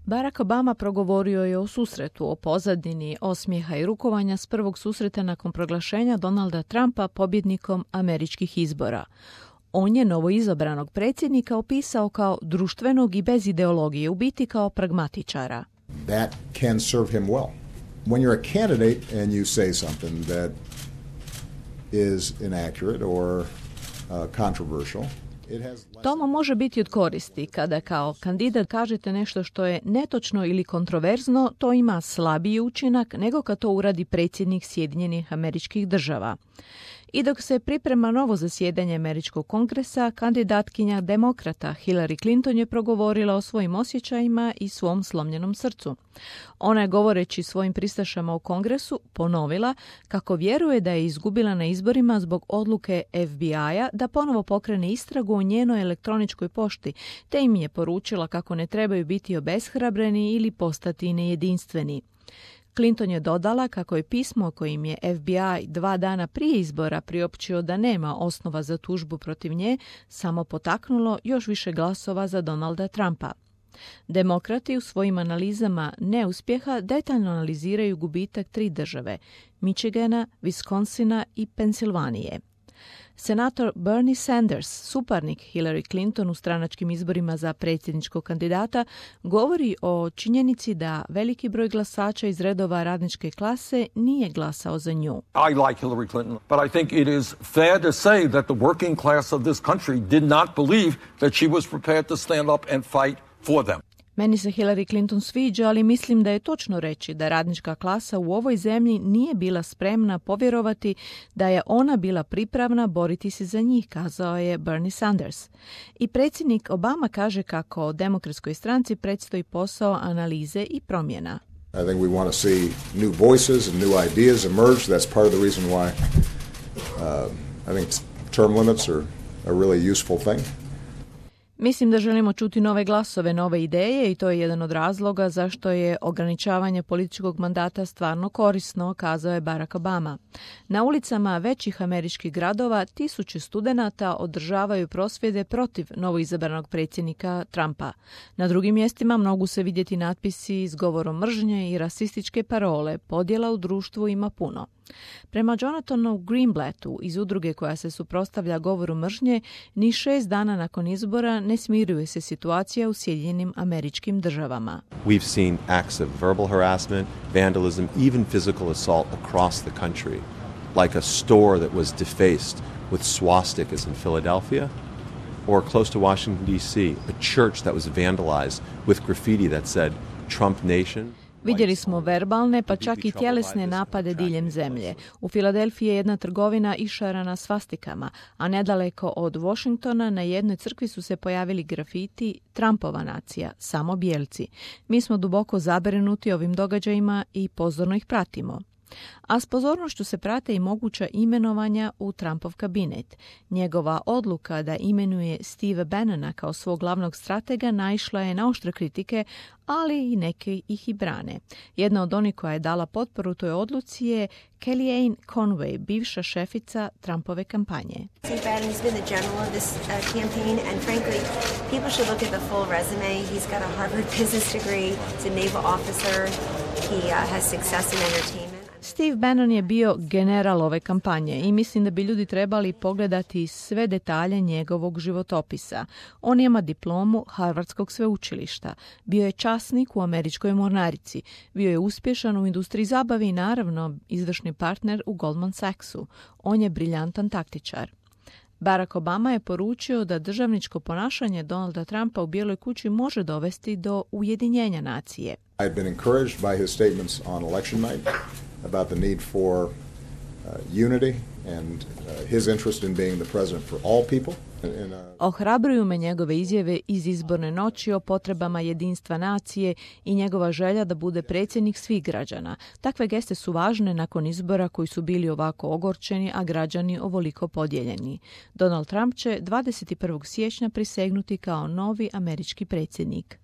Barack Obama progovorio je o susretu, o pozadini osmijeha i rukovanja s prvog susreta nakon proglašenja Donalda Trumpa pobjednikom američkih izbora. On je novoizabranog predsjednika opisao kao društvenog i bez ideologije, u biti kao pragmatičara. That can serve him well. When you're a candidate and you say something that is inaccurate or controversial, to mu može biti od koristi. Kada kao kandidat kažete nešto što je netočno ili kontroverzno, to ima slabiji učinak nego kad to uradi predsjednik Sjedinjenih Američkih Država. I dok se priprema novo zasjedanje Američkog kongresa, kandidatkinja demokrata Hillary Clinton je progovorila o svojim osjećajima i svom slomljenom srcu. Ona je, govoreći svojim pristašama u kongresu, ponovila kako vjeruje da je izgubila na izborima zbog odluke FBI-a da ponovo pokrene istragu o njenoj elektroničkoj pošti, te im je poručila kako ne trebaju biti obeshrabreni ili postati nejedinstveni. Clinton je dodala kako je pismo kojim je FBI 2 dana prije izbora priopćio da nema osnova za tužbu protiv nje samo potaknulo još više glasova za Donalda Trumpa. Demokrati u svojim analizama neuspjeha detaljno analiziraju gubitak 3 države, Michigana, Wisconsina i Pensilvanije. Senator Bernie Sanders, suparnik Hillary Clinton u stranačkim izborima za predsjedničkog kandidata, govori o činjenici da veliki broj glasača iz redova radničke klase nije glasao za nju. I like Hillary Clinton, but I think it is fair to say that the working class of this country did not believe that she was prepared to stand up and fight for them. Meni se Hillary Clinton sviđa, ali mislim da je točno reći da radnička klasa u ovoj zemlji nije bila spremna povjerovati da je ona bila pripravna boriti se za njih, kazao je Bernie Sanders. I predsjednik Obama kaže kako demokratskoj stranci predstoji posao analize i promjena. I think we want to see new voices and new ideas emerge. That's part of the reason why I think term limits are a really useful thing. Mislim da želimo čuti nove glasove, nove ideje i to je jedan od razloga zašto je ograničavanje političkog mandata stvarno korisno, kazao je Barack Obama. Na ulicama većih američkih gradova tisuće studenata održavaju prosvjede protiv novoizabranog predsjednika Trumpa. Na drugim mjestima mogu se vidjeti natpisi s govorom mržnje i rasističke parole, podjela u društvu ima puno. Prema Jonathanu Greenblattu iz udruge koja se suprotstavlja govoru mržnje, ni 6 dana nakon izbora ne smiruje se situacija u Sjedinjenim Američkim Državama. We've seen acts of verbal harassment, vandalism, even physical assault across the country, like a store that was defaced with swastikas in Philadelphia, or close to Washington, D.C., a church that was vandalized with graffiti that said Trump Nation. Vidjeli smo verbalne, pa čak i tjelesne napade diljem zemlje. U Filadelfiji je jedna trgovina išarana svastikama, a nedaleko od Washingtona na jednoj crkvi su se pojavili grafiti Trumpova nacija, samo bijelci. Mi smo duboko zabrinuti ovim događajima i pozorno ih pratimo. A s pozornošću se prate i moguća imenovanja u Trumpov kabinet. Njegova odluka da imenuje Steve Bannona kao svog glavnog stratega naišla je na oštre kritike, ali i neki ih i brane. Jedna od onih koja je dala potporu toj odluci je Kellyanne Conway, bivša šefica Trumpove kampanje. Steve Bannon's been the general of this campaign, and frankly, people should look at the full resume. He's got a Harvard business degree, he's a naval officer, he has success in entertainment. Steve Bannon je bio general ove kampanje i mislim da bi ljudi trebali pogledati sve detalje njegovog životopisa. On ima diplomu Harvardskog sveučilišta, bio je časnik u američkoj mornarici, bio je uspješan u industriji zabave i naravno izvršni partner u Goldman Sachsu. On je briljantan taktičar. Barack Obama je poručio da državničko ponašanje Donalda Trumpa u Bijeloj kući može dovesti do ujedinjenja nacije. I've been encouraged by his statements on election night about the need for unity and his interest in being the president for all people. Ohrabruju me njegove izjave iz izborne noći o potrebama jedinstva nacije i njegova želja da bude predsjednik svih građana. Takve geste su važne nakon izbora koji su bili ovako ogorčeni, a građani ovoliko podijeljeni. Donald Trump će 21. siječnja prisegnuti kao novi američki predsjednik.